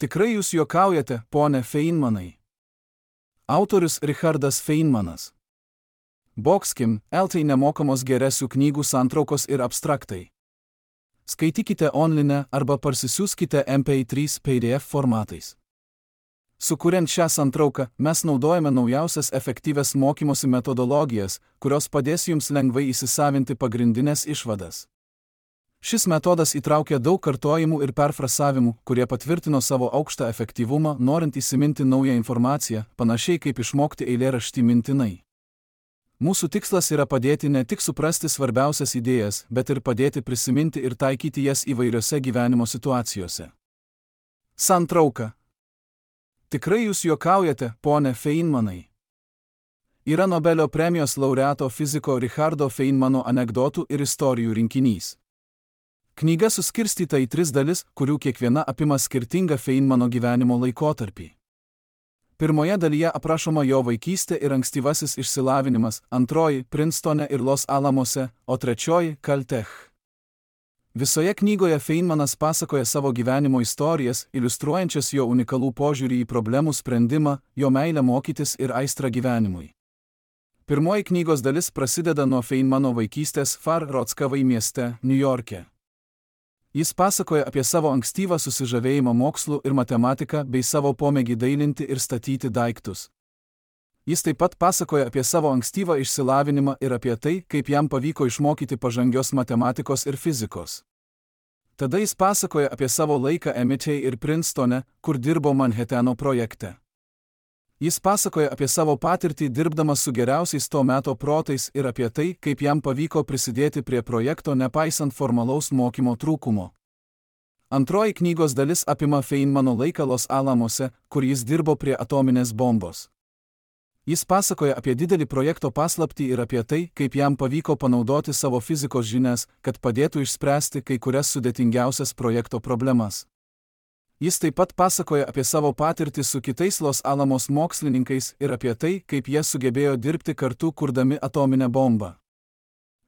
Tikrai jūs juokaujate, pone Feinmanai. Autorius Richardas Feinmanas. Boxkim, LT nemokamos geresių knygų santraukos ir abstraktai. Skaitykite online arba parsisiųskite MP3 PDF formatais. Sukuriant šią santrauką, mes naudojame naujausias efektyvias mokymosi metodologijas, kurios padės jums lengvai įsisavinti pagrindinės išvadas. Šis metodas įtraukia daug kartojimų ir perfrasavimų, kurie patvirtino savo aukštą efektyvumą, norint įsiminti naują informaciją, panašiai kaip išmokti eilėraštį mintinai. Mūsų tikslas yra padėti ne tik suprasti svarbiausias idėjas, bet ir padėti prisiminti ir taikyti jas įvairiose gyvenimo situacijose. Santrauka. Tikrai jūs juokaujate, pone Feinmanai. Yra Nobelio premijos laureato fiziko Richardo Feinmano anekdotų ir istorijų rinkinys. Knyga suskirstyta į 3 dalis, kurių kiekviena apima skirtingą Feinmano gyvenimo laikotarpį. Pirmoje dalyje aprašoma jo vaikystė ir ankstyvasis išsilavinimas, antroji – Princetone ir Los Alamose, o trečioji – Caltech. Visoje knygoje Feinmanas pasakoja savo gyvenimo istorijas, iliustruojančias jo unikalų požiūrį į problemų sprendimą, jo meilę mokytis ir aistrą gyvenimui. Pirmoji knygos dalis prasideda nuo Feinmano vaikystės Far Rockaway mieste, Niujorke. Jis pasakoja apie savo ankstyvą susižavėjimą mokslu ir matematika bei savo pomėgį dailinti ir statyti daiktus. Jis taip pat pasakoja apie savo ankstyvą išsilavinimą ir apie tai, kaip jam pavyko išmokyti pažangios matematikos ir fizikos. Tada jis pasakoja apie savo laiką MIT ir Princetone, kur dirbo Manhatano projekte. Jis pasakoja apie savo patirtį dirbdamas su geriausiais to meto protais ir apie tai, kaip jam pavyko prisidėti prie projekto nepaisant formalaus mokymo trūkumo. Antroji knygos dalis apima Feinmano laiką Los Alamose, kur jis dirbo prie atominės bombos. Jis pasakoja apie didelį projekto paslaptį ir apie tai, kaip jam pavyko panaudoti savo fizikos žinias, kad padėtų išspręsti kai kurias sudėtingiausias projekto problemas. Jis taip pat pasakoja apie savo patirtį su kitais Los Alamos mokslininkais ir apie tai, kaip jie sugebėjo dirbti kartu kurdami atominę bombą.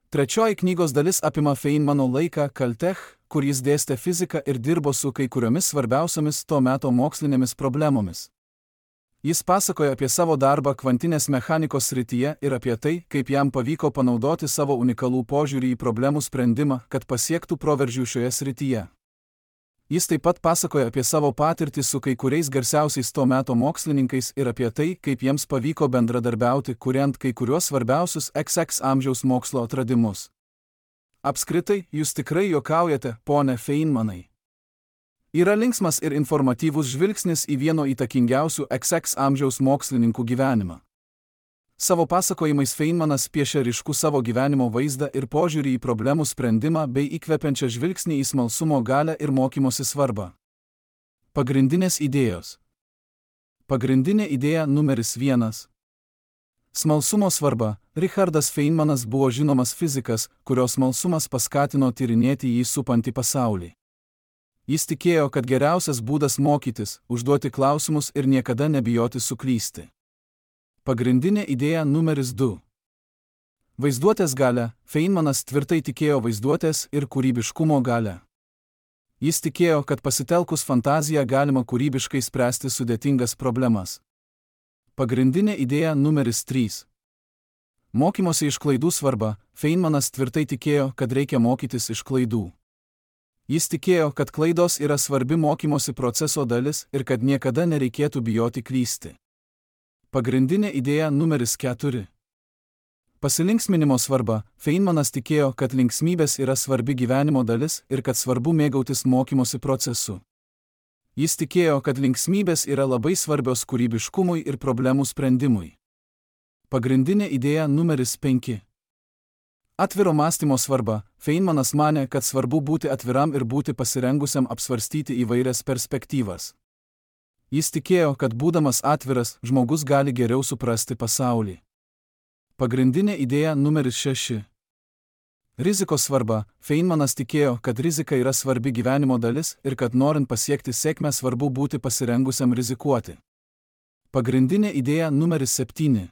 Trečioji knygos dalis apima Feinmano laiką Caltech, kur jis dėstė fiziką ir dirbo su kai kuriomis svarbiausiomis to meto mokslinėmis problemomis. Jis pasakoja apie savo darbą kvantinės mechanikos srityje ir apie tai, kaip jam pavyko panaudoti savo unikalų požiūrį į problemų sprendimą, kad pasiektų proveržių šioje srityje. Jis taip pat pasakoja apie savo patirtį su kai kuriais garsiausiais to meto mokslininkais ir apie tai, kaip jiems pavyko bendradarbiauti, kuriant kai kuriuos svarbiausius XX amžiaus mokslo atradimus. Apskritai, jūs tikrai juokaujate, pone Feinmanai. Yra linksmas ir informatyvus žvilgsnis į vieno įtakingiausių XX amžiaus mokslininkų gyvenimą. Savo pasakojimais Feinmanas piešia ryškų savo gyvenimo vaizdą ir požiūrį į problemų sprendimą bei įkvepiančią žvilgsnį į smalsumo galią ir mokymosi svarbą. Pagrindinės idėjos. Pagrindinė idėja numeris 1. Smalsumo svarba. Richardas Feinmanas buvo žinomas fizikas, kurio smalsumas paskatino tyrinėti jį supantį pasaulį. Jis tikėjo, kad geriausias būdas mokytis – užduoti klausimus ir niekada nebijoti suklysti. Pagrindinė idėja numeris 2. Vaizduotės galia. Feinmanas tvirtai tikėjo vaizduotės ir kūrybiškumo galia. Jis tikėjo, kad pasitelkus fantaziją galima kūrybiškai spręsti sudėtingas problemas. Pagrindinė idėja numeris 3. Mokymosi iš klaidų svarba. Feinmanas tvirtai tikėjo, kad reikia mokytis iš klaidų. Jis tikėjo, kad klaidos yra svarbi mokymosi proceso dalis ir kad niekada nereikėtų bijoti klysti. Pagrindinė idėja numeris 4. Pasilinksminimo svarba. Feinmanas tikėjo, kad linksmybės yra svarbi gyvenimo dalis ir kad svarbu mėgautis mokymosi procesu. Jis tikėjo, kad linksmybės yra labai svarbios kūrybiškumui ir problemų sprendimui. Pagrindinė idėja numeris 5. Atviro mąstymo svarba. Feinmanas manė, kad svarbu būti atviram ir būti pasirengusiam apsvarstyti įvairias perspektyvas. Jis tikėjo, kad būdamas atviras, žmogus gali geriau suprasti pasaulį. Pagrindinė idėja numeris 6. Rizikos svarba. Feinmanas tikėjo, kad rizika yra svarbi gyvenimo dalis ir kad norint pasiekti sėkmę svarbu būti pasirengusiam rizikuoti. Pagrindinė idėja numeris 7.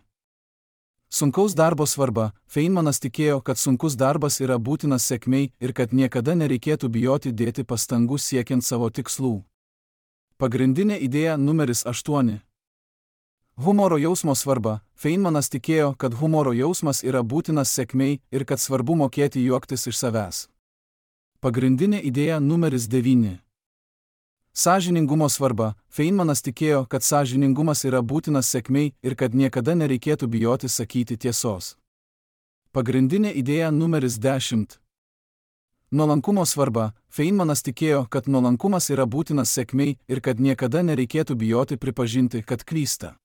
Sunkaus darbo svarba. Feinmanas tikėjo, kad sunkus darbas yra būtinas sėkmei ir kad niekada nereikėtų bijoti dėti pastangų siekiant savo tikslų. Pagrindinė idėja numeris 8. Humoro jausmo svarba. Feynmanas tikėjo, kad humoro jausmas yra būtinas sėkmei ir kad svarbu mokėti juoktis iš savęs. Pagrindinė idėja numeris 9. Sąžiningumo svarba. Feynmanas tikėjo, kad sąžiningumas yra būtinas sėkmei ir kad niekada nereikėtų bijoti sakyti tiesos. Pagrindinė idėja numeris 10. Nuolankumo svarba. Feynmanas tikėjo, kad nuolankumas yra būtinas sėkmei ir kad niekada nereikėtų bijoti pripažinti, kad klysta.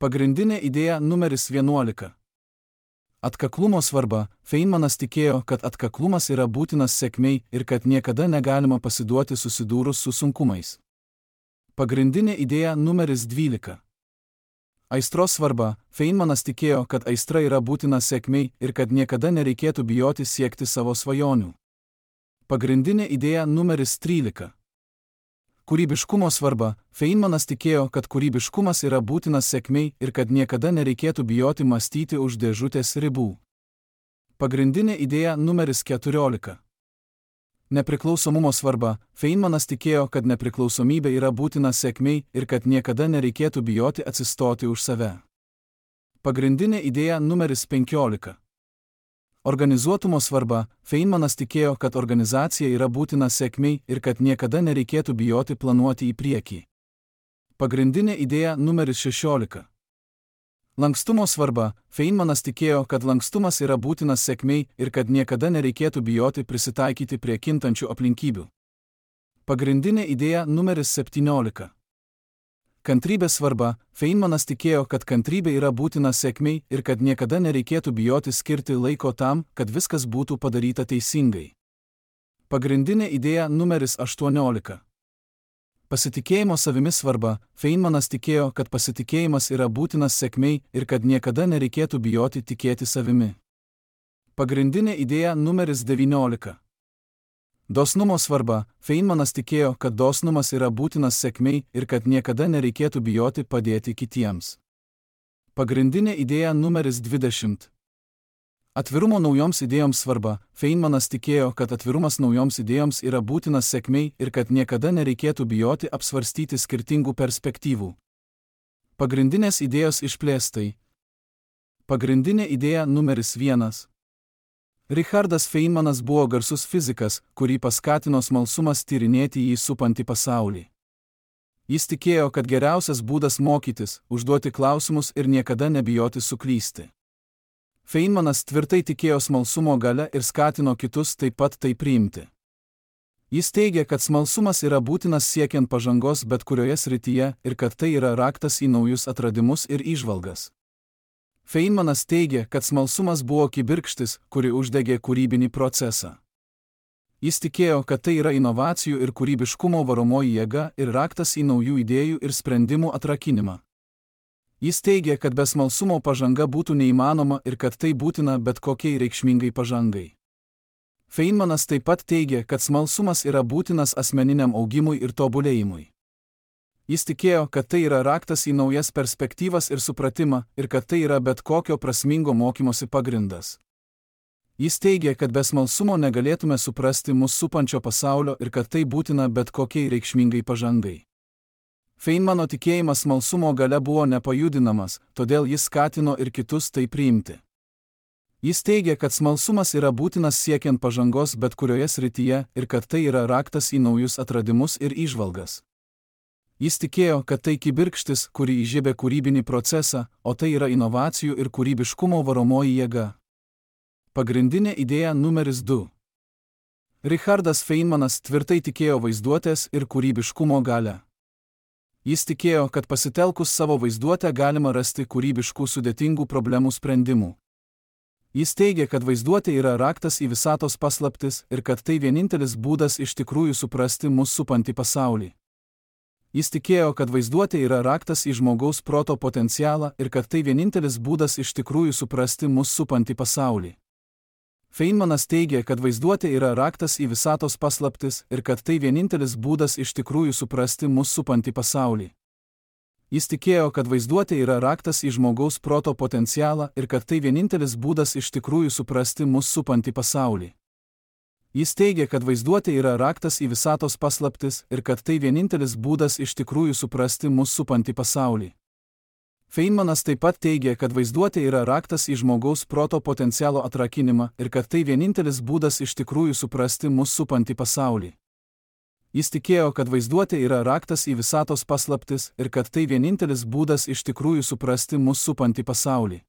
Pagrindinė idėja numeris 11. Atkaklumo svarba. Feynmanas tikėjo, kad atkaklumas yra būtinas sėkmei ir kad niekada negalima pasiduoti susidūrus su sunkumais. Pagrindinė idėja numeris 12. Aistros svarba. Feynmanas tikėjo, kad aistra yra būtina sėkmei ir kad niekada nereikėtų bijoti siekti savo svajonių. Pagrindinė idėja numeris 13. Kūrybiškumo svarba. Feynmanas tikėjo, kad kūrybiškumas yra būtinas sėkmei ir kad niekada nereikėtų bijoti mąstyti už dėžutės ribų. Pagrindinė idėja numeris 14. Nepriklausomumo svarba. Feynmanas tikėjo, kad nepriklausomybė yra būtina sėkmei ir kad niekada nereikėtų bijoti atsistoti už save. Pagrindinė idėja numeris 15. Organizuotumo svarba. Feynmanas tikėjo, kad organizacija yra būtina sėkmei ir kad niekada nereikėtų bijoti planuoti į priekį. Pagrindinė idėja numeris 16. Lankstumo svarba. Feynmanas tikėjo, kad lankstumas yra būtinas sėkmei ir kad niekada nereikėtų bijoti prisitaikyti prie kintančių aplinkybių. Pagrindinė idėja numeris 17. Kantrybės svarba. Feynmanas tikėjo, kad kantrybė yra būtina sėkmei ir kad niekada nereikėtų bijoti skirti laiko tam, kad viskas būtų padaryta teisingai. Pagrindinė idėja numeris 18. Pasitikėjimo savimi svarba. Feynmanas tikėjo, kad pasitikėjimas yra būtinas sėkmei ir kad niekada nereikėtų bijoti tikėti savimi. Pagrindinė idėja numeris 19. Dosnumo svarba. Feynmanas tikėjo, kad dosnumas yra būtinas sėkmei ir kad niekada nereikėtų bijoti padėti kitiems. Pagrindinė idėja numeris 20. Atvirumo naujoms idėjoms svarba. Feynmanas tikėjo, kad atvirumas naujoms idėjoms yra būtinas sėkmei ir kad niekada nereikėtų bijoti apsvarstyti skirtingų perspektyvų. Pagrindinės idėjos išplėstai. Pagrindinė idėja numeris 1. Richardas Feynmanas buvo garsus fizikas, kurį paskatino smalsumas tyrinėti jį supantį pasaulį. Jis tikėjo, kad geriausias būdas mokytis – užduoti klausimus ir niekada nebijoti suklysti. Feynmanas tvirtai tikėjo smalsumo galia ir skatino kitus taip pat tai priimti. Jis teigė, kad smalsumas yra būtinas siekiant pažangos bet kurioje srityje ir kad tai yra raktas į naujus atradimus ir įžvalgas. Feynmanas teigė, kad smalsumas buvo kibirkštis, kuri uždegė kūrybinį procesą. Jis tikėjo, kad tai yra inovacijų ir kūrybiškumo varomoji jėga ir raktas į naujų idėjų ir sprendimų atrakinimą. Jis teigė, kad be smalsumo pažanga būtų neįmanoma ir kad tai būtina bet kokiai reikšmingai pažangai. Feynmanas taip pat teigė, kad smalsumas yra būtinas asmeniniam augimui ir tobulėjimui. Jis tikėjo, kad tai yra raktas į naujas perspektyvas ir supratimą ir kad tai yra bet kokio prasmingo mokymosi pagrindas. Jis teigė, kad be smalsumo negalėtume suprasti mus supančio pasaulio ir kad tai būtina bet kokiai reikšmingai pažangai. Feynmano tikėjimas smalsumo galia buvo nepajudinamas, todėl jis skatino ir kitus tai priimti. Jis teigė, kad smalsumas yra būtinas siekiant pažangos bet kurioje srityje ir kad tai yra raktas į naujus atradimus ir įžvalgas. Jis tikėjo, kad tai kibirkštis, kuri įžiebė kūrybinį procesą, o tai yra inovacijų ir kūrybiškumo varomoji jėga. Pagrindinė idėja numeris 2. Richardas Feynmanas tvirtai tikėjo vaizduotės ir kūrybiškumo galią. Jis tikėjo, kad pasitelkus savo vaizduotę galima rasti kūrybiškų sudėtingų problemų sprendimų. Jis teigė, kad vaizduotė yra raktas į visatos paslaptis ir kad tai vienintelis būdas iš tikrųjų suprasti mus supantį pasaulį. Jis tikėjo, kad vaizduotė yra raktas į žmogaus proto potencialą ir kad tai vienintelis būdas iš tikrųjų suprasti mus supantį pasaulį. Feynmanas teigė, kad vaizduotė yra raktas į visatos paslaptis ir kad tai vienintelis būdas iš tikrųjų suprasti mus supantį pasaulį. Jis tikėjo, kad vaizduotė yra raktas į žmogaus proto potencialą ir kad tai vienintelis būdas iš tikrųjų suprasti mus supantį pasaulį. Jis teigia, kad vaizduotė yra raktas į visatos paslaptis ir kad tai vienintelis būdas iš tikrųjų suprasti mus supantį pasaulį. Feynmanas taip pat teigia, kad vaizduotė yra raktas į žmogaus proto potencialo atrakinimą ir kad tai vienintelis būdas iš tikrųjų suprasti mus supantį pasaulį. Jis tikėjo, kad vaizduotė yra raktas į visatos paslaptis ir kad tai vienintelis būdas iš tikrųjų suprasti mus supantį pasaulį.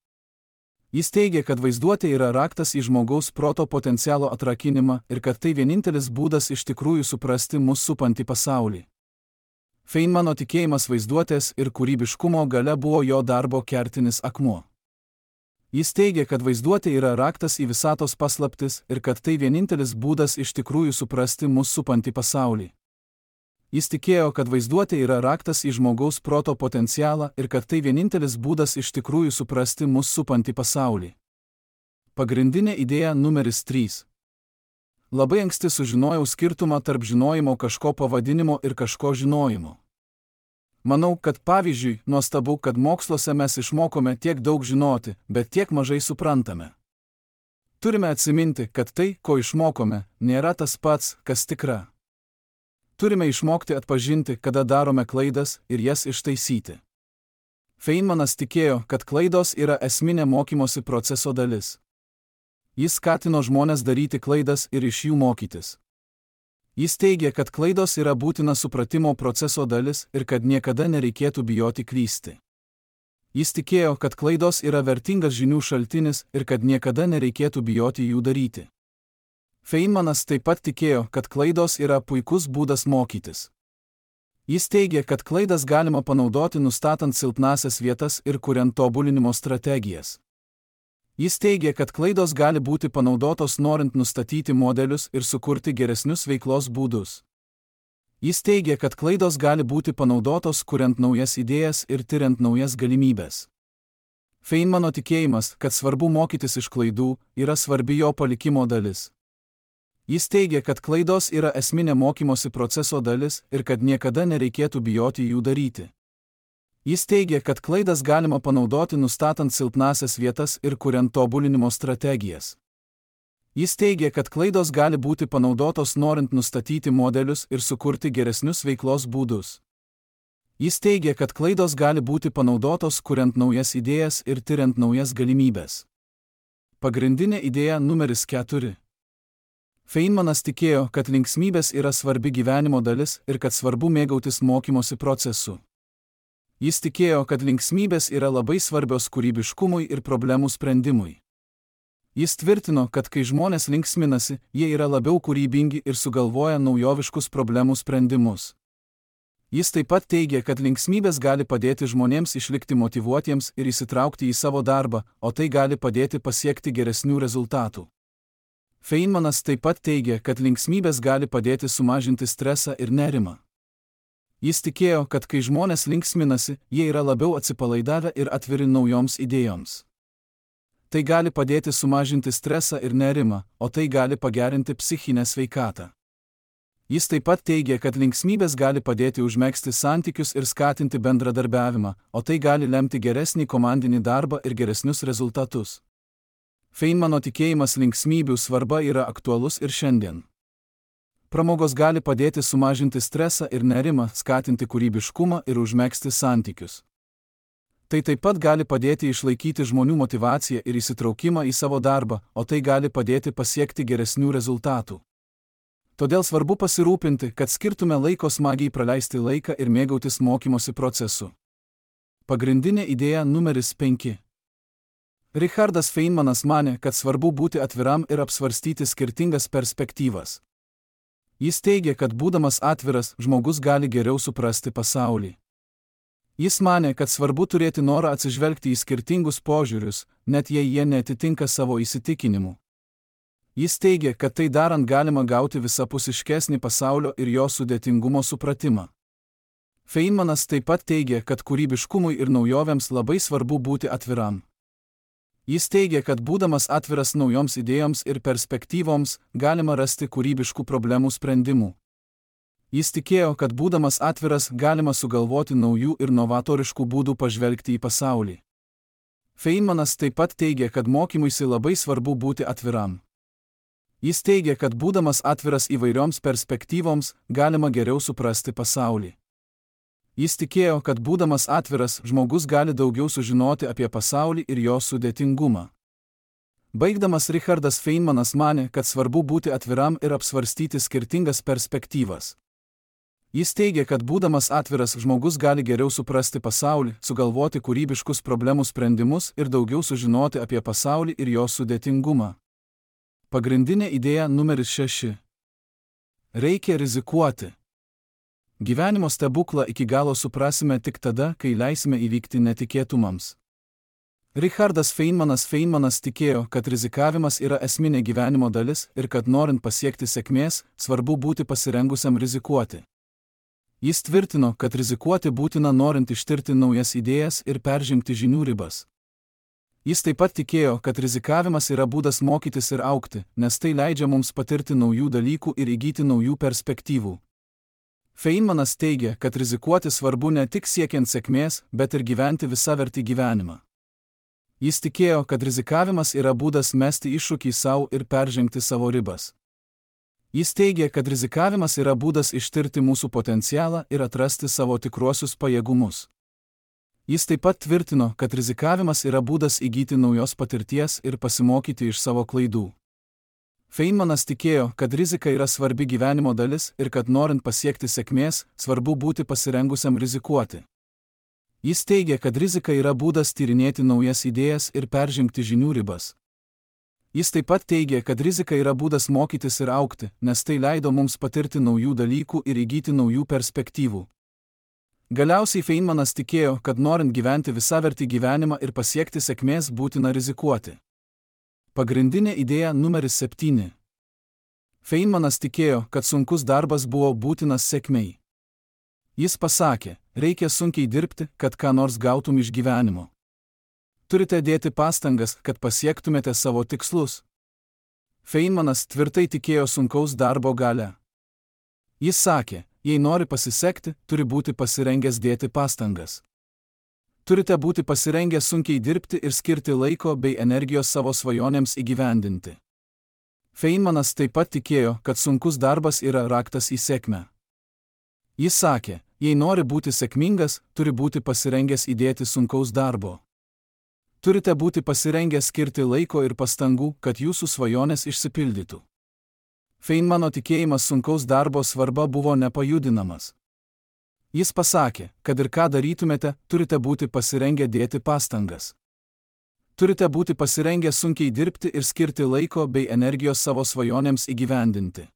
Jis teigia, kad vaizduotė yra raktas į žmogaus proto potencialo atrakinimą ir kad tai vienintelis būdas iš tikrųjų suprasti mus supantį pasaulį. Feynmano tikėjimas vaizduotės ir kūrybiškumo galia buvo jo darbo kertinis akmuo. Jis teigia, kad vaizduotė yra raktas į visatos paslaptis ir kad tai vienintelis būdas iš tikrųjų suprasti mus supantį pasaulį. Jis tikėjo, kad vaizduotė yra raktas į žmogaus proto potencialą ir kad tai vienintelis būdas iš tikrųjų suprasti mus supantį pasaulį. Pagrindinė idėja numeris 3. Labai anksti sužinojau skirtumą tarp žinojimo kažko pavadinimo ir kažko žinojimo. Manau, kad pavyzdžiui, nuostabu, kad moksluose mes išmokome tiek daug žinoti, bet tiek mažai suprantame. Turime atsiminti, kad tai, ko išmokome, nėra tas pats, kas tikra. Turime išmokti atpažinti, kada darome klaidas ir jas ištaisyti. Feynmanas tikėjo, kad klaidos yra esminė mokymosi proceso dalis. Jis skatino žmones daryti klaidas ir iš jų mokytis. Jis teigia, kad klaidos yra būtina supratimo proceso dalis ir kad niekada nereikėtų bijoti klysti. Jis tikėjo, kad klaidos yra vertingas žinių šaltinis ir kad niekada nereikėtų bijoti jų daryti. Feynmanas taip pat tikėjo, kad klaidos yra puikus būdas mokytis. Jis teigia, kad klaidas galima panaudoti nustatant silpnasias vietas ir kuriant tobulinimo strategijas. Jis teigia, kad klaidos gali būti panaudotos norint nustatyti modelius ir sukurti geresnius veiklos būdus. Jis teigia, kad klaidos gali būti panaudotos kuriant naujas idėjas ir tyriant naujas galimybes. Feynmano tikėjimas, kad svarbu mokytis iš klaidų, yra svarbi jo palikimo dalis. Jis teigia, kad klaidos yra esminė mokymosi proceso dalis ir kad niekada nereikėtų bijoti jų daryti. Jis teigia, kad klaidas galima panaudoti nustatant silpnasias vietas ir kuriant tobulinimo strategijas. Jis teigia, kad klaidos gali būti panaudotos norint nustatyti modelius ir sukurti geresnius veiklos būdus. Jis teigia, kad klaidos gali būti panaudotos kuriant naujas idėjas ir tyriant naujas galimybes. Pagrindinė idėja numeris 4. Feynmanas tikėjo, kad linksmybės yra svarbi gyvenimo dalis ir kad svarbu mėgautis mokymosi procesu. Jis tikėjo, kad linksmybės yra labai svarbios kūrybiškumui ir problemų sprendimui. Jis tvirtino, kad kai žmonės linksminasi, jie yra labiau kūrybingi ir sugalvoja naujoviškus problemų sprendimus. Jis taip pat teigia, kad linksmybės gali padėti žmonėms išlikti motyvuotiems ir įsitraukti į savo darbą, o tai gali padėti pasiekti geresnių rezultatų. Feynmanas taip pat teigia, kad linksmybės gali padėti sumažinti stresą ir nerimą. Jis tikėjo, kad kai žmonės linksminasi, jie yra labiau atsipalaidavę ir atviri naujoms idėjoms. Tai gali padėti sumažinti stresą ir nerimą, o tai gali pagerinti psichinę sveikatą. Jis taip pat teigia, kad linksmybės gali padėti užmegzti santykius ir skatinti bendradarbiavimą, o tai gali lemti geresnį komandinį darbą ir geresnius rezultatus. Feynmano tikėjimas linksmybių svarba yra aktualus ir šiandien. Pramogos gali padėti sumažinti stresą ir nerimą, skatinti kūrybiškumą ir užmegzti santykius. Tai taip pat gali padėti išlaikyti žmonių motyvaciją ir įsitraukimą į savo darbą, o tai gali padėti pasiekti geresnių rezultatų. Todėl svarbu pasirūpinti, kad skirtume laiko smagiai praleisti laiką ir mėgautis mokymosi procesu. Pagrindinė idėja numeris 5. Richardas Feynmanas manė, kad svarbu būti atviram ir apsvarstyti skirtingas perspektyvas. Jis teigia, kad būdamas atviras, žmogus gali geriau suprasti pasaulį. Jis manė, kad svarbu turėti norą atsižvelgti į skirtingus požiūrius, net jei jie neatitinka savo įsitikinimų. Jis teigia, kad tai darant galima gauti visapusiškesnį pasaulio ir jo sudėtingumo supratimą. Feynmanas taip pat teigia, kad kūrybiškumui ir naujovėms labai svarbu būti atviram. Jis teigia, kad būdamas atviras naujoms idėjoms ir perspektyvoms, galima rasti kūrybiškų problemų sprendimų. Jis tikėjo, kad būdamas atviras galima sugalvoti naujų ir novatoriškų būdų pažvelgti į pasaulį. Feynmanas taip pat teigia, kad mokymuisi labai svarbu būti atviram. Jis teigia, kad būdamas atviras įvairioms perspektyvoms, galima geriau suprasti pasaulį. Jis tikėjo, kad būdamas atviras, žmogus gali daugiau sužinoti apie pasaulį ir jo sudėtingumą. Baigdamas Richardas Feynmanas manė, kad svarbu būti atviram ir apsvarstyti skirtingas perspektyvas. Jis teigia, kad būdamas atviras, žmogus gali geriau suprasti pasaulį, sugalvoti kūrybiškus problemų sprendimus ir daugiau sužinoti apie pasaulį ir jo sudėtingumą. Pagrindinė idėja numeris 6. Reikia rizikuoti. Gyvenimo stebuklą iki galo suprasime tik tada, kai leisime įvykti netikėtumams. Richardas Feynmanas tikėjo, kad rizikavimas yra esminė gyvenimo dalis ir kad norint pasiekti sėkmės, svarbu būti pasirengusiam rizikuoti. Jis tvirtino, kad rizikuoti būtina norint ištirti naujas idėjas ir peržengti žinių ribas. Jis taip pat tikėjo, kad rizikavimas yra būdas mokytis ir augti, nes tai leidžia mums patirti naujų dalykų ir įgyti naujų perspektyvų. Feynmanas teigia, kad rizikuoti svarbu ne tik siekiant sėkmės, bet ir gyventi visavertį gyvenimą. Jis tikėjo, kad rizikavimas yra būdas mesti iššūkį savo ir peržengti savo ribas. Jis teigia, kad rizikavimas yra būdas ištirti mūsų potencialą ir atrasti savo tikruosius pajėgumus. Jis taip pat tvirtino, kad rizikavimas yra būdas įgyti naujos patirties ir pasimokyti iš savo klaidų. Feynmanas tikėjo, kad rizika yra svarbi gyvenimo dalis ir kad norint pasiekti sėkmės, svarbu būti pasirengusiam rizikuoti. Jis teigia, kad rizika yra būdas tyrinėti naujas idėjas ir peržengti žinių ribas. Jis taip pat teigia, kad rizika yra būdas mokytis ir augti, nes tai leido mums patirti naujų dalykų ir įgyti naujų perspektyvų. Galiausiai Feynmanas tikėjo, kad norint gyventi visavertį gyvenimą ir pasiekti sėkmės būtina rizikuoti. Pagrindinė idėja numeris 7. Feynmanas tikėjo, kad sunkus darbas buvo būtinas sėkmei. Jis pasakė, reikia sunkiai dirbti, kad ką nors gautum iš gyvenimo. Turite dėti pastangas, kad pasiektumėte savo tikslus. Feynmanas tvirtai tikėjo sunkaus darbo galia. Jis sakė, jei nori pasisekti, turi būti pasirengęs dėti pastangas. Turite būti pasirengę sunkiai dirbti ir skirti laiko bei energijos savo svajonėms įgyvendinti. Feynmanas taip pat tikėjo, kad sunkus darbas yra raktas į sėkmę. Jis sakė, jei nori būti sėkmingas, turi būti pasirengęs įdėti sunkaus darbo. Turite būti pasirengę skirti laiko ir pastangų, kad jūsų svajonės išsipildytų. Feynmano tikėjimas sunkaus darbo svarba buvo nepajudinamas. Jis pasakė, kad ir ką darytumėte, turite būti pasirengę dėti pastangas. Turite būti pasirengę sunkiai dirbti ir skirti laiko bei energijos savo svajonėms įgyvendinti.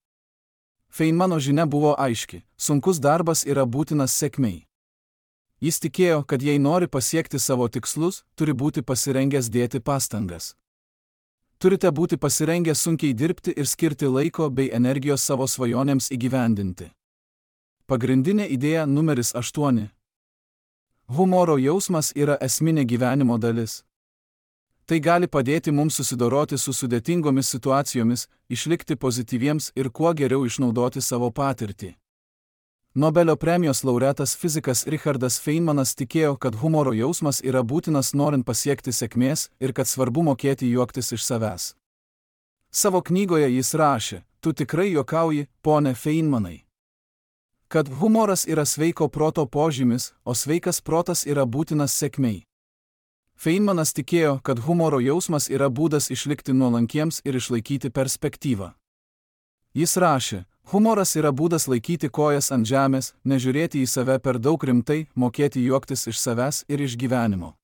Feynmano žinia buvo aiški, sunkus darbas yra būtinas sėkmei. Jis tikėjo, kad jei nori pasiekti savo tikslus, turi būti pasirengęs dėti pastangas. Turite būti pasirengę sunkiai dirbti ir skirti laiko bei energijos savo svajonėms įgyvendinti. Pagrindinė idėja numeris 8. Humoro jausmas yra esminė gyvenimo dalis. Tai gali padėti mums susidoroti su sudėtingomis situacijomis, išlikti pozityviems ir kuo geriau išnaudoti savo patirtį. Nobelio premijos laureatas fizikas Richardas Feynmanas tikėjo, kad humoro jausmas yra būtinas norint pasiekti sėkmės ir kad svarbu mokėti juoktis iš savęs. Savo knygoje jis rašė, tu tikrai juokauji, pone Feynmanai. Kad humoras yra sveiko proto požymis, o sveikas protas yra būtinas sėkmei. Feynmanas tikėjo, kad humoro jausmas yra būdas išlikti nuolankiems ir išlaikyti perspektyvą. Jis rašė, humoras yra būdas laikyti kojas ant žemės, nežiūrėti į save per daug rimtai, mokėti juoktis iš savęs ir iš gyvenimo.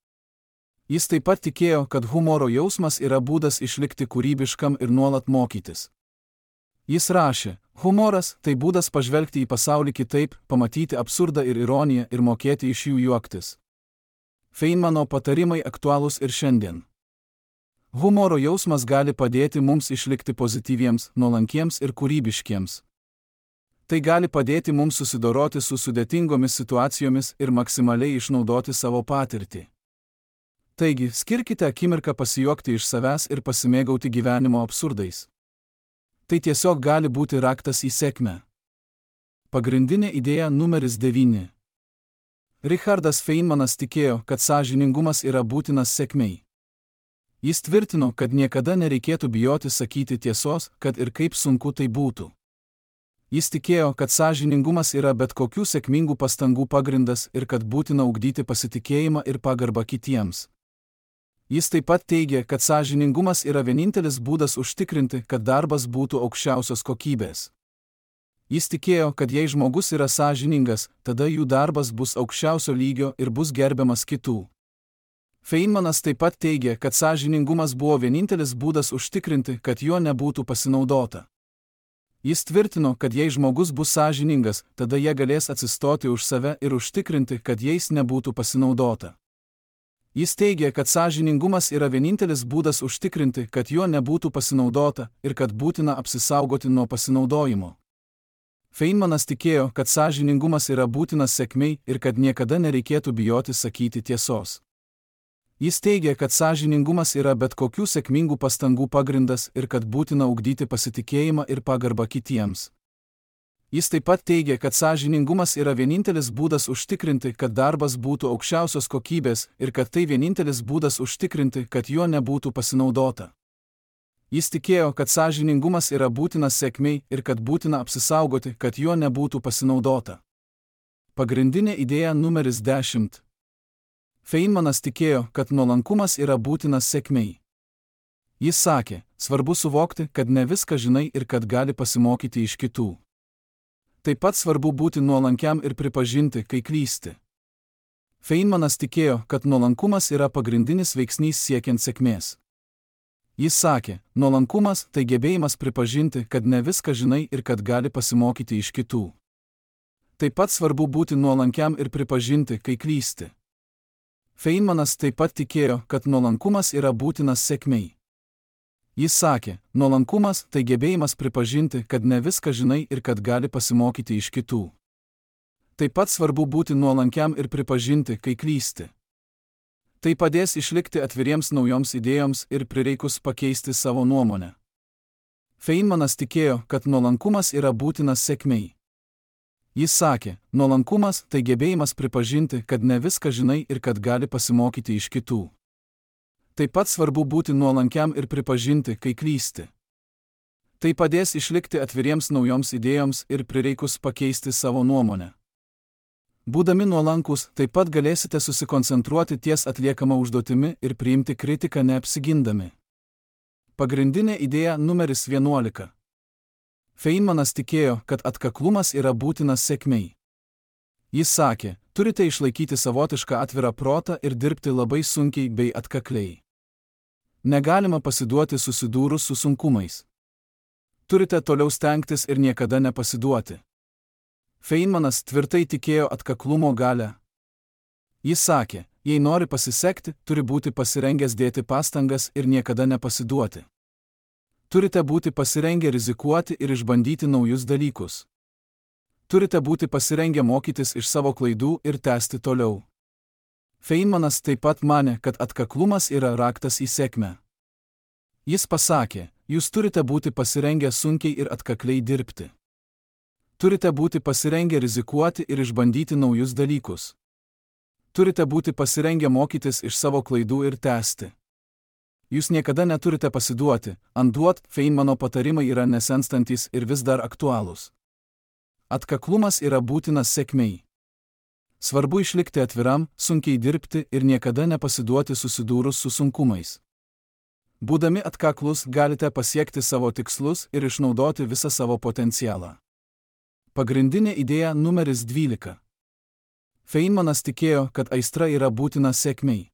Jis taip pat tikėjo, kad humoro jausmas yra būdas išlikti kūrybiškam ir nuolat mokytis. Jis rašė, humoras tai būdas pažvelgti į pasaulį kitaip, pamatyti absurdą ir ironiją ir mokėti iš jų juoktis. Feynmano patarimai aktualūs ir šiandien. Humoro jausmas gali padėti mums išlikti pozityviems, nuolankiems ir kūrybiškiems. Tai gali padėti mums susidoroti su sudėtingomis situacijomis ir maksimaliai išnaudoti savo patirtį. Taigi, skirkite akimirką pasijuokti iš savęs ir pasimėgauti gyvenimo absurdais. Tai tiesiog gali būti raktas į sėkmę. Pagrindinė idėja numeris 9. Richardas Feynmanas tikėjo, kad sąžiningumas yra būtinas sėkmei. Jis tvirtino, kad niekada nereikėtų bijoti sakyti tiesos, kad ir kaip sunku tai būtų. Jis tikėjo, kad sąžiningumas yra bet kokių sėkmingų pastangų pagrindas ir kad būtina ugdyti pasitikėjimą ir pagarbą kitiems. Jis taip pat teigė, kad sąžiningumas yra vienintelis būdas užtikrinti, kad darbas būtų aukščiausios kokybės. Jis tikėjo, kad jei žmogus yra sąžiningas, tada jų darbas bus aukščiausio lygio ir bus gerbiamas kitų. Feynmanas taip pat teigė, kad sąžiningumas buvo vienintelis būdas užtikrinti, kad juo nebūtų pasinaudota. Jis tvirtino, kad jei žmogus bus sąžiningas, tada jie galės atsistoti už save ir užtikrinti, kad jais nebūtų pasinaudota. Jis teigė, kad sąžiningumas yra vienintelis būdas užtikrinti, kad juo nebūtų pasinaudota ir kad būtina apsisaugoti nuo pasinaudojimo. Feynmanas tikėjo, kad sąžiningumas yra būtinas sėkmei ir kad niekada nereikėtų bijoti sakyti tiesos. Jis teigė, kad sąžiningumas yra bet kokių sėkmingų pastangų pagrindas ir kad būtina ugdyti pasitikėjimą ir pagarbą kitiems. Jis taip pat teigė, kad sąžiningumas yra vienintelis būdas užtikrinti, kad darbas būtų aukščiausios kokybės ir kad tai vienintelis būdas užtikrinti, kad juo nebūtų pasinaudota. Jis tikėjo, kad sąžiningumas yra būtinas sėkmei ir kad būtina apsisaugoti, kad juo nebūtų pasinaudota. Pagrindinė idėja numeris 10. Feynmanas tikėjo, kad nuolankumas yra būtinas sėkmei. Jis sakė, svarbu suvokti, kad ne viską žinai ir kad gali pasimokyti iš kitų. Taip pat svarbu būti nuolankiam ir pripažinti, kai klysti. Feynmanas tikėjo, kad nuolankumas yra pagrindinis veiksnys siekiant sėkmės. Jis sakė, nuolankumas tai gebėjimas pripažinti, kad ne viską žinai ir kad gali pasimokyti iš kitų. Taip pat svarbu būti nuolankiam ir pripažinti, kai klysti. Feynmanas taip pat tikėjo, kad nuolankumas yra būtinas sėkmei. Jis sakė, nuolankumas tai gebėjimas pripažinti, kad ne viską žinai ir kad gali pasimokyti iš kitų. Taip pat svarbu būti nuolankiam ir pripažinti, kai klysti. Tai padės išlikti atviriems naujoms idėjoms ir prireikus pakeisti savo nuomonę. Feynmanas tikėjo, kad nuolankumas yra būtinas sėkmei. Jis sakė, nuolankumas tai gebėjimas pripažinti, kad ne viską žinai ir kad gali pasimokyti iš kitų. Taip pat svarbu būti nuolankiam ir pripažinti, kai klysti. Tai padės išlikti atviriems naujoms idėjoms ir prireikus pakeisti savo nuomonę. Būdami nuolankus, taip pat galėsite susikoncentruoti ties atliekama užduotimi ir priimti kritiką neapsigindami. Pagrindinė idėja numeris 11. Feynmanas tikėjo, kad atkaklumas yra būtinas sėkmei. Jis sakė, turite išlaikyti savotišką atvirą protą ir dirbti labai sunkiai bei atkakliai. Negalima pasiduoti susidūrus su sunkumais. Turite toliau stengtis ir niekada nepasiduoti. Feynmanas tvirtai tikėjo atkaklumo galią. Jis sakė, jei nori pasisekti, turi būti pasirengęs dėti pastangas ir niekada nepasiduoti. Turite būti pasirengę rizikuoti ir išbandyti naujus dalykus. Turite būti pasirengę mokytis iš savo klaidų ir tęsti toliau. Feynmanas taip pat manė, kad atkaklumas yra raktas į sėkmę. Jis pasakė, jūs turite būti pasirengę sunkiai ir atkakliai dirbti. Turite būti pasirengę rizikuoti ir išbandyti naujus dalykus. Turite būti pasirengę mokytis iš savo klaidų ir tęsti. Jūs niekada neturite pasiduoti, anduot, Feynmano patarimai yra nesenstantis ir vis dar aktualūs. Atkaklumas yra būtinas sėkmei. Svarbu išlikti atviram, sunkiai dirbti ir niekada nepasiduoti susidūrus su sunkumais. Būdami atkaklus, galite pasiekti savo tikslus ir išnaudoti visą savo potencialą. Pagrindinė idėja numeris 12. Feynmanas tikėjo, kad aistra yra būtina sėkmei.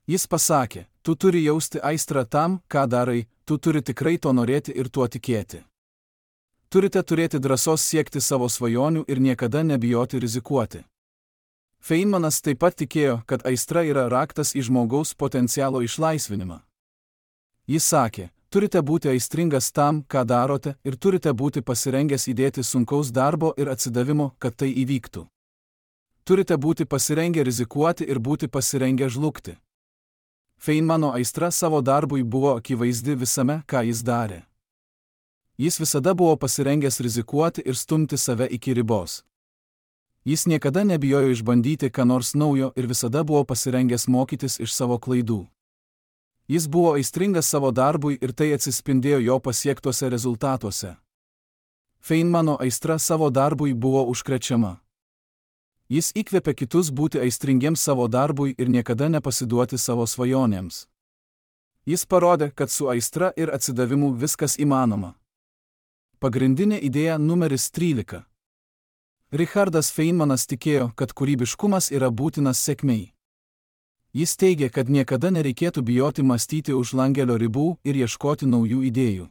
Jis pasakė, tu turi jausti aistrą tam, ką darai, tu turi tikrai to norėti ir tuo tikėti. Turite turėti drąsos siekti savo svajonių ir niekada nebijoti rizikuoti. Feynmanas taip pat tikėjo, kad aistra yra raktas į žmogaus potencialo išlaisvinimą. Jis sakė, turite būti aistringas tam, ką darote ir turite būti pasirengęs įdėti sunkaus darbo ir atsidavimo, kad tai įvyktų. Turite būti pasirengę rizikuoti ir būti pasirengę žlugti. Feynmano aistra savo darbui buvo akivaizdi visame, ką jis darė. Jis visada buvo pasirengęs rizikuoti ir stumti save iki ribos. Jis niekada nebijojo išbandyti ką nors naujo ir visada buvo pasirengęs mokytis iš savo klaidų. Jis buvo aistringas savo darbui ir tai atsispindėjo jo pasiektuose rezultatuose. Feynmano aistra savo darbui buvo užkrečiama. Jis įkvėpė kitus būti aistringiems savo darbui ir niekada nepasiduoti savo svajonėms. Jis parodė, kad su aistra ir atsidavimu viskas įmanoma. Pagrindinė idėja numeris 13. Richardas Feynmanas tikėjo, kad kūrybiškumas yra būtinas sėkmei. Jis teigė, kad niekada nereikėtų bijoti mąstyti už langelio ribų ir ieškoti naujų idėjų.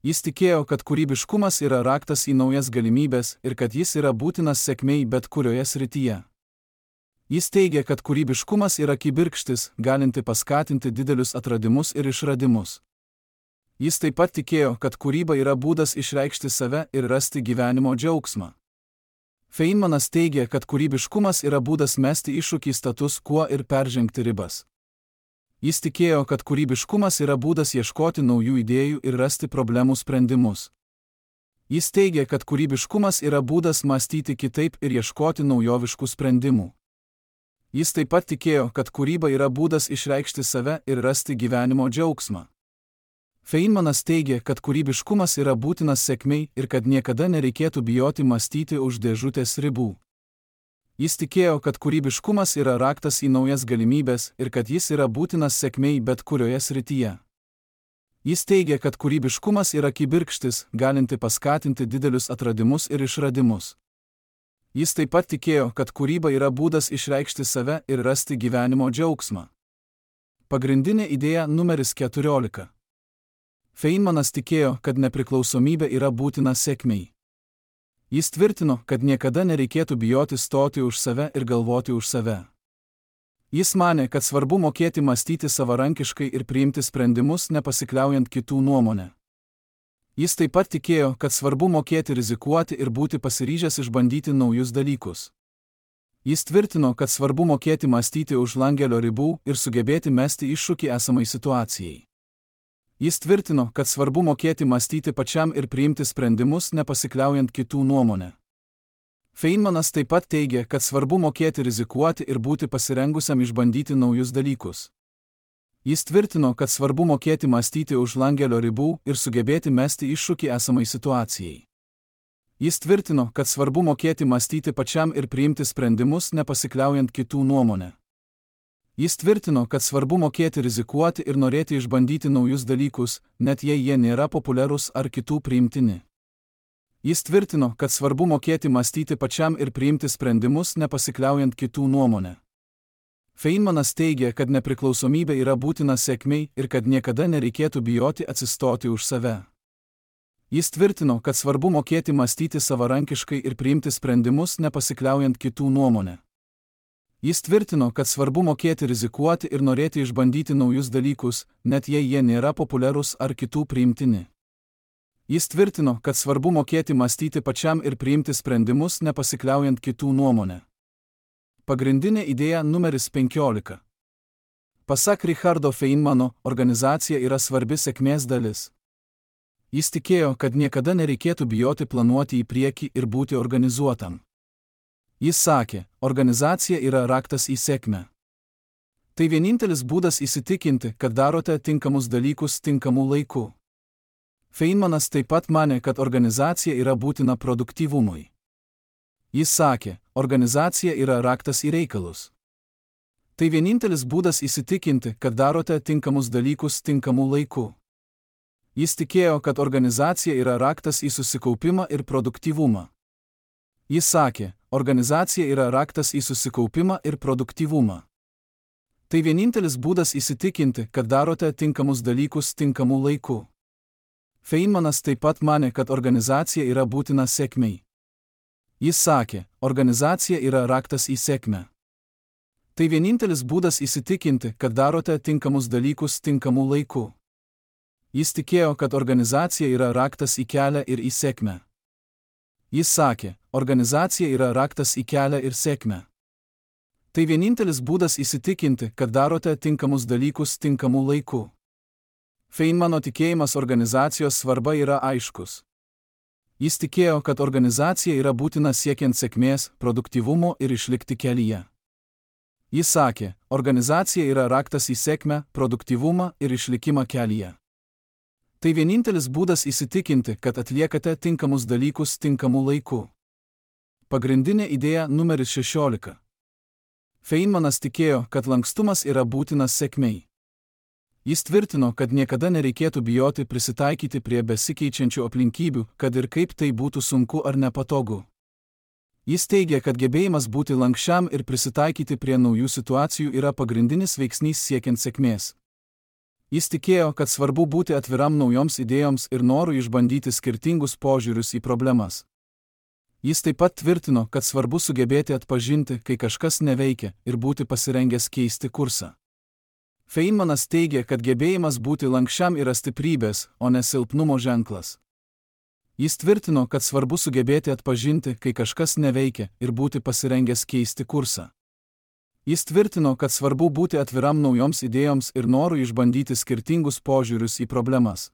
Jis tikėjo, kad kūrybiškumas yra raktas į naujas galimybės ir kad jis yra būtinas sėkmei bet kurioje srityje. Jis teigė, kad kūrybiškumas yra kibirkštis, galinti paskatinti didelius atradimus ir išradimus. Jis taip pat tikėjo, kad kūryba yra būdas išreikšti save ir rasti gyvenimo džiaugsmą. Feynmanas teigė, kad kūrybiškumas yra būdas mesti iššūkį status quo ir peržengti ribas. Jis tikėjo, kad kūrybiškumas yra būdas ieškoti naujų idėjų ir rasti problemų sprendimus. Jis teigė, kad kūrybiškumas yra būdas mąstyti kitaip ir ieškoti naujoviškų sprendimų. Jis taip pat tikėjo, kad kūryba yra būdas išreikšti save ir rasti gyvenimo džiaugsmą. Feynmanas teigė, kad kūrybiškumas yra būtinas sėkmei ir kad niekada nereikėtų bijoti mąstyti už dėžutės ribų. Jis tikėjo, kad kūrybiškumas yra raktas į naujas galimybės ir kad jis yra būtinas sėkmei bet kurioje srityje. Jis teigė, kad kūrybiškumas yra kibirkštis, galinti paskatinti didelius atradimus ir išradimus. Jis taip pat tikėjo, kad kūryba yra būdas išreikšti save ir rasti gyvenimo džiaugsmą. Pagrindinė idėja numeris 14. Feynmanas tikėjo, kad nepriklausomybė yra būtina sėkmei. Jis tvirtino, kad niekada nereikėtų bijoti stoti už save ir galvoti už save. Jis manė, kad svarbu mokėti mąstyti savarankiškai ir priimti sprendimus nepasikliaujant kitų nuomonę. Jis taip pat tikėjo, kad svarbu mokėti rizikuoti ir būti pasiryžęs išbandyti naujus dalykus. Jis tvirtino, kad svarbu mokėti mąstyti už langelio ribų ir sugebėti mesti iššūkį esamai situacijai. Jis tvirtino, kad svarbu mokėti mąstyti pačiam ir priimti sprendimus nepasikliaujant kitų nuomonę. Feynmanas taip pat teigė, kad svarbu mokėti rizikuoti ir būti pasirengusiam išbandyti naujus dalykus. Jis tvirtino, kad svarbu mokėti mąstyti už langelio ribų ir sugebėti mesti iššūkį esamai situacijai. Jis tvirtino, kad svarbu mokėti mąstyti pačiam ir priimti sprendimus nepasikliaujant kitų nuomonę. Jis tvirtino, kad svarbu mokėti rizikuoti ir norėti išbandyti naujus dalykus, net jei jie nėra populiarūs ar kitų priimtini. Jis tvirtino, kad svarbu mokėti mąstyti pačiam ir priimti sprendimus nepasikliaujant kitų nuomonę. Feynmanas teigė, kad nepriklausomybė yra būtina sėkmei ir kad niekada nereikėtų bijoti atsistoti už save. Jis tvirtino, kad svarbu mokėti mąstyti savarankiškai ir priimti sprendimus nepasikliaujant kitų nuomonę. Jis tvirtino, kad svarbu mokėti rizikuoti ir norėti išbandyti naujus dalykus, net jei jie nėra populiarūs ar kitų priimtini. Jis tvirtino, kad svarbu mokėti mąstyti pačiam ir priimti sprendimus nepasikliaujant kitų nuomonę. Pagrindinė idėja numeris 15. Pasak Richardo Feynmano, organizacija yra svarbi sėkmės dalis. Jis tikėjo, kad niekada nereikėtų bijoti planuoti į priekį ir būti organizuotam. Jis sakė, organizacija yra raktas į sėkmę. Tai vienintelis būdas įsitikinti, kad darote tinkamus dalykus tinkamu laiku. Feynmanas taip pat manė, kad organizacija yra būtina produktyvumui. Jis sakė, organizacija yra raktas į reikalus. Tai vienintelis būdas įsitikinti, kad darote tinkamus dalykus tinkamu laiku. Jis tikėjo, kad organizacija yra raktas į susikaupimą ir produktyvumą. Jis sakė, organizacija yra raktas į susikaupimą ir produktyvumą. Tai vienintelis būdas įsitikinti, kad darote tinkamus dalykus tinkamu laiku. Feynmanas taip pat manė, kad organizacija yra būtina sėkmei. Jis sakė, organizacija yra raktas į sėkmę. Tai vienintelis būdas įsitikinti, kad darote tinkamus dalykus tinkamu laiku. Jis tikėjo, kad organizacija yra raktas į kelią ir į sėkmę. Jis sakė, organizacija yra raktas į kelią ir sėkmę. Tai vienintelis būdas įsitikinti, kad darote tinkamus dalykus tinkamu laiku. Feynmano tikėjimas organizacijos svarba yra aiškus. Jis tikėjo, kad organizacija yra būtina siekiant sėkmės, produktyvumo ir išlikti kelyje. Jis sakė, organizacija yra raktas į sėkmę, produktyvumą ir išlikimą kelyje. Tai vienintelis būdas įsitikinti, kad atliekate tinkamus dalykus tinkamu laiku. Pagrindinė idėja numeris 16. Feynmanas tikėjo, kad lankstumas yra būtinas sėkmei. Jis tvirtino, kad niekada nereikėtų bijoti prisitaikyti prie besikeičiančių aplinkybių, kad ir kaip tai būtų sunku ar nepatogu. Jis teigia, kad gebėjimas būti lankščiam ir prisitaikyti prie naujų situacijų yra pagrindinis veiksnys siekiant sėkmės. Jis tikėjo, kad svarbu būti atviram naujoms idėjoms ir norui išbandyti skirtingus požiūrius į problemas. Jis taip pat tvirtino, kad svarbu sugebėti atpažinti, kai kažkas neveikia, ir būti pasirengęs keisti kursą. Feynmanas teigia, kad gebėjimas būti lankščiam yra stiprybės, o ne silpnumo ženklas. Jis tvirtino, kad svarbu sugebėti atpažinti, kai kažkas neveikia, ir būti pasirengęs keisti kursą. Jis tvirtino, kad svarbu būti atviram naujoms idėjoms ir norui išbandyti skirtingus požiūrius į problemas.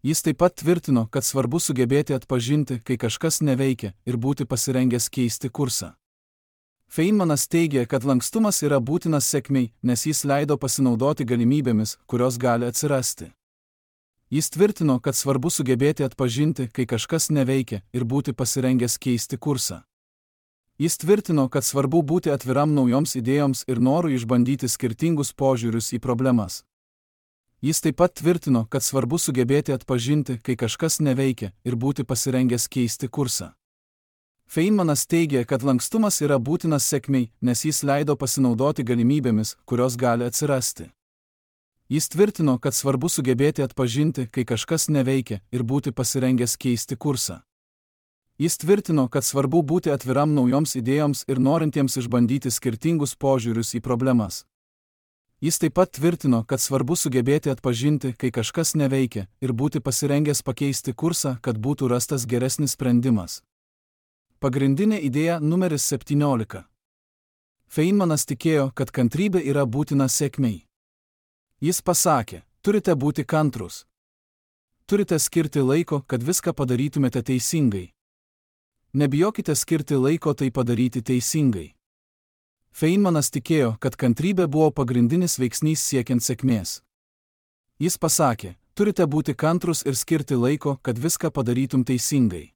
Jis taip pat tvirtino, kad svarbu sugebėti atpažinti, kai kažkas neveikia, ir būti pasirengęs keisti kursą. Feynmanas teigia, kad lankstumas yra būtinas sėkmei, nes jis leido pasinaudoti galimybėmis, kurios gali atsirasti. Jis tvirtino, kad svarbu sugebėti atpažinti, kai kažkas neveikia, ir būti pasirengęs keisti kursą. Jis tvirtino, kad svarbu būti atviram naujoms idėjoms ir norui išbandyti skirtingus požiūrius į problemas. Jis taip pat tvirtino, kad svarbu sugebėti atpažinti, kai kažkas neveikia, ir būti pasirengęs keisti kursą. Feynmanas teigia, kad lankstumas yra būtinas sėkmei, nes jis leido pasinaudoti galimybėmis, kurios gali atsirasti. Jis tvirtino, kad svarbu sugebėti atpažinti, kai kažkas neveikia, ir būti pasirengęs keisti kursą. Jis tvirtino, kad svarbu būti atviram naujoms idėjoms ir norintiems išbandyti skirtingus požiūrius į problemas. Jis taip pat tvirtino, kad svarbu sugebėti atpažinti, kai kažkas neveikia, ir būti pasirengęs pakeisti kursą, kad būtų rastas geresnis sprendimas. Pagrindinė idėja numeris 17. Feynmanas tikėjo, kad kantrybė yra būtina sėkmei. Jis pasakė, turite būti kantrus. Turite skirti laiko, kad viską padarytumėte teisingai. Nebijokite skirti laiko tai padaryti teisingai. Feynmanas tikėjo, kad kantrybė buvo pagrindinis veiksnys siekiant sėkmės. Jis pasakė, turite būti kantrus ir skirti laiko, kad viską padarytum teisingai.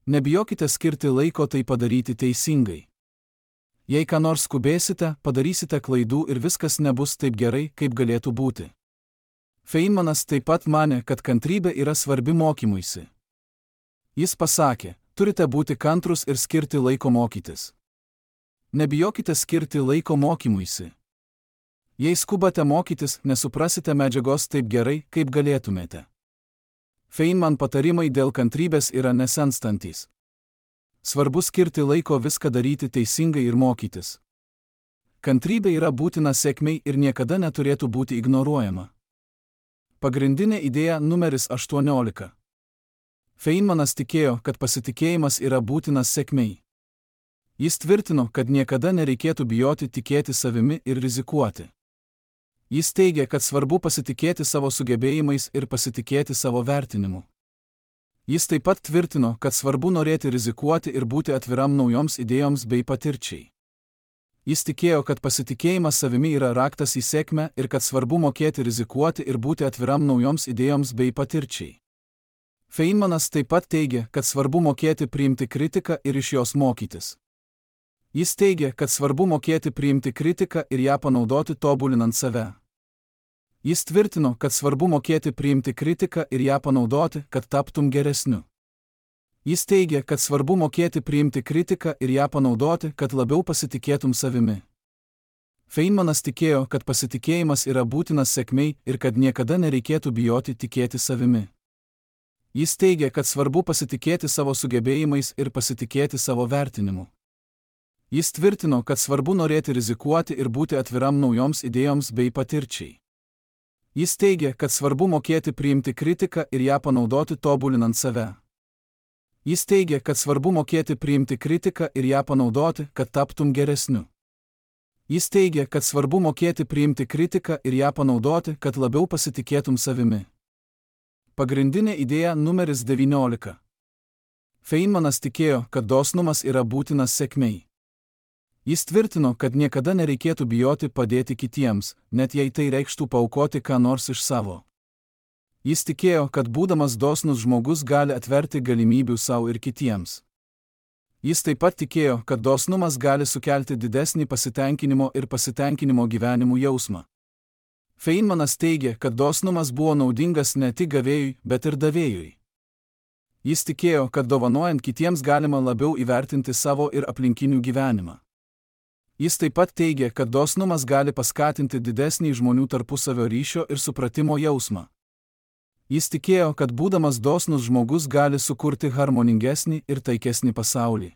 Nebijokite skirti laiko tai padaryti teisingai. Jei ką nors skubėsite, padarysite klaidų ir viskas nebus taip gerai, kaip galėtų būti. Feynmanas taip pat manė, kad kantrybė yra svarbi mokymuisi. Jis pasakė, turite būti kantrus ir skirti laiko mokytis. Nebijokite skirti laiko mokymuisi. Jei skubate mokytis, nesuprasite medžiagos taip gerai, kaip galėtumėte. Feynman patarimai dėl kantrybės yra nesenstantys. Svarbu skirti laiko viską daryti teisingai ir mokytis. Kantrybė yra būtina sėkmei ir niekada neturėtų būti ignoruojama. Pagrindinė idėja numeris 18. Feynmanas tikėjo, kad pasitikėjimas yra būtinas sėkmei. Jis tvirtino, kad niekada nereikėtų bijoti tikėti savimi ir rizikuoti. Jis teigia, kad svarbu pasitikėti savo sugebėjimais ir pasitikėti savo vertinimu. Jis taip pat tvirtino, kad svarbu norėti rizikuoti ir būti atviram naujoms idėjoms bei patirčiai. Jis tikėjo, kad pasitikėjimas savimi yra raktas į sėkmę ir kad svarbu mokėti rizikuoti ir būti atviram naujoms idėjoms bei patirčiai. Feynmanas taip pat teigia, kad svarbu mokėti priimti kritiką ir iš jos mokytis. Jis teigia, kad svarbu mokėti priimti kritiką ir ją panaudoti tobulinant save. Jis tvirtino, kad svarbu mokėti priimti kritiką ir ją panaudoti, kad taptum geresniu. Jis teigia, kad svarbu mokėti priimti kritiką ir ją panaudoti, kad labiau pasitikėtum savimi. Feynmanas tikėjo, kad pasitikėjimas yra būtinas sėkmei ir kad niekada nereikėtų bijoti tikėti savimi. Jis teigia, kad svarbu pasitikėti savo sugebėjimais ir pasitikėti savo vertinimu. Jis tvirtino, kad svarbu norėti rizikuoti ir būti atviram naujoms idėjoms bei patirčiai. Jis teigia, kad svarbu mokėti priimti kritiką ir ją panaudoti tobulinant save. Jis teigia, kad svarbu mokėti priimti kritiką ir ją panaudoti, kad taptum geresniu. Jis teigia, kad svarbu mokėti priimti kritiką ir ją panaudoti, kad labiau pasitikėtum savimi. Pagrindinė idėja numeris 19. Feynmanas tikėjo, kad dosnumas yra būtinas sėkmei. Jis tvirtino, kad niekada nereikėtų bijoti padėti kitiems, net jei tai reikštų paaukoti ką nors iš savo. Jis tikėjo, kad būdamas dosnus žmogus gali atverti galimybių savo ir kitiems. Jis taip pat tikėjo, kad dosnumas gali sukelti didesnį pasitenkinimo gyvenimu jausmą. Feynmanas teigė, kad dosnumas buvo naudingas ne tik gavėjui, bet ir davėjui. Jis tikėjo, kad dovanojant kitiems galima labiau įvertinti savo ir aplinkinių gyvenimą. Jis taip pat teigė, kad dosnumas gali paskatinti didesnį žmonių tarpusavio ryšio ir supratimo jausmą. Jis tikėjo, kad būdamas dosnus žmogus gali sukurti harmoningesnį ir taikesnį pasaulį.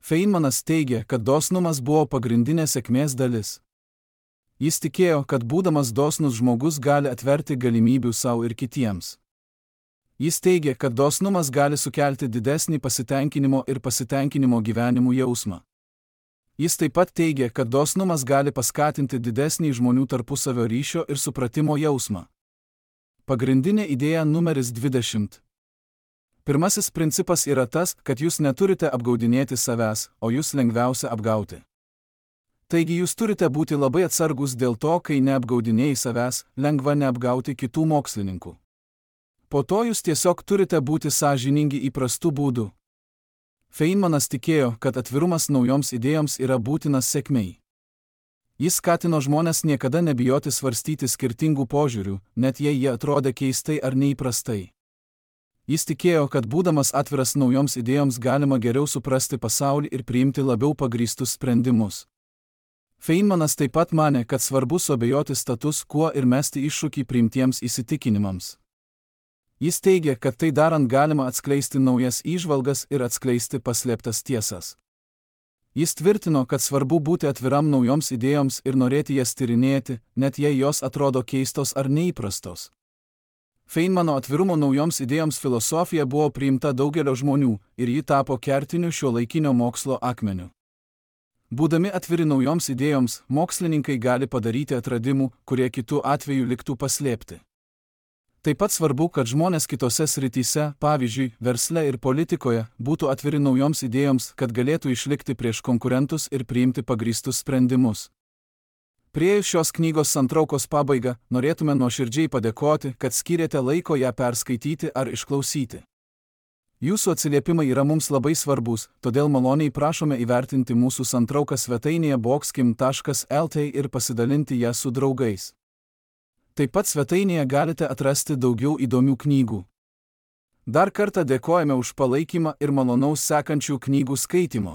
Feynmanas teigė, kad dosnumas buvo pagrindinė sėkmės dalis. Jis tikėjo, kad būdamas dosnus žmogus gali atverti galimybių savo ir kitiems. Jis teigė, kad dosnumas gali sukelti didesnį pasitenkinimo gyvenimu jausmą. Jis taip pat teigė, kad dosnumas gali paskatinti didesnį žmonių tarpusavio ryšio ir supratimo jausmą. Pagrindinė idėja numeris 20. Pirmasis principas yra tas, kad jūs neturite apgaudinėti savęs, o jūs lengviausia apgauti. Taigi jūs turite būti labai atsargus dėl to, kai neapgaudinėjai savęs, lengva neapgauti kitų mokslininkų. Po to jūs tiesiog turite būti sąžiningi įprastų būdų. Feynmanas tikėjo, kad atvirumas naujoms idėjoms yra būtinas sėkmei. Jis skatino žmones niekada nebijoti svarstyti skirtingų požiūrių, net jei jie atrodė keistai ar neįprastai. Jis tikėjo, kad būdamas atviras naujoms idėjoms galima geriau suprasti pasaulį ir priimti labiau pagrįstus sprendimus. Feynmanas taip pat manė, kad svarbu suabejoti status quo ir mesti iššūkį priimtiems įsitikinimams. Jis teigė, kad tai darant galima atskleisti naujas įžvalgas ir atskleisti paslėptas tiesas. Jis tvirtino, kad svarbu būti atviram naujoms idėjoms ir norėti jas tyrinėti, net jei jos atrodo keistos ar neįprastos. Feynmano atvirumo naujoms idėjoms filosofija buvo priimta daugelio žmonių ir ji tapo kertiniu šiuolaikinio mokslo akmeniu. Būdami atviri naujoms idėjoms, mokslininkai gali padaryti atradimų, kurie kitų atveju liktų paslėpti. Taip pat svarbu, kad žmonės kitose srityse, pavyzdžiui, versle ir politikoje, būtų atviri naujoms idėjoms, kad galėtų išlikti prieš konkurentus ir priimti pagrįstus sprendimus. Priėjus šios knygos santraukos pabaigą, norėtume nuoširdžiai padėkoti, kad skyrėte laiko ją perskaityti ar išklausyti. Jūsų atsiliepimai yra mums labai svarbus, todėl maloniai prašome įvertinti mūsų santrauką svetainėje boxkim.lt ir pasidalinti ją su draugais. Taip pat svetainėje galite atrasti daugiau įdomių knygų. Dar kartą dėkojame už palaikymą ir malonaus sekančių knygų skaitymo.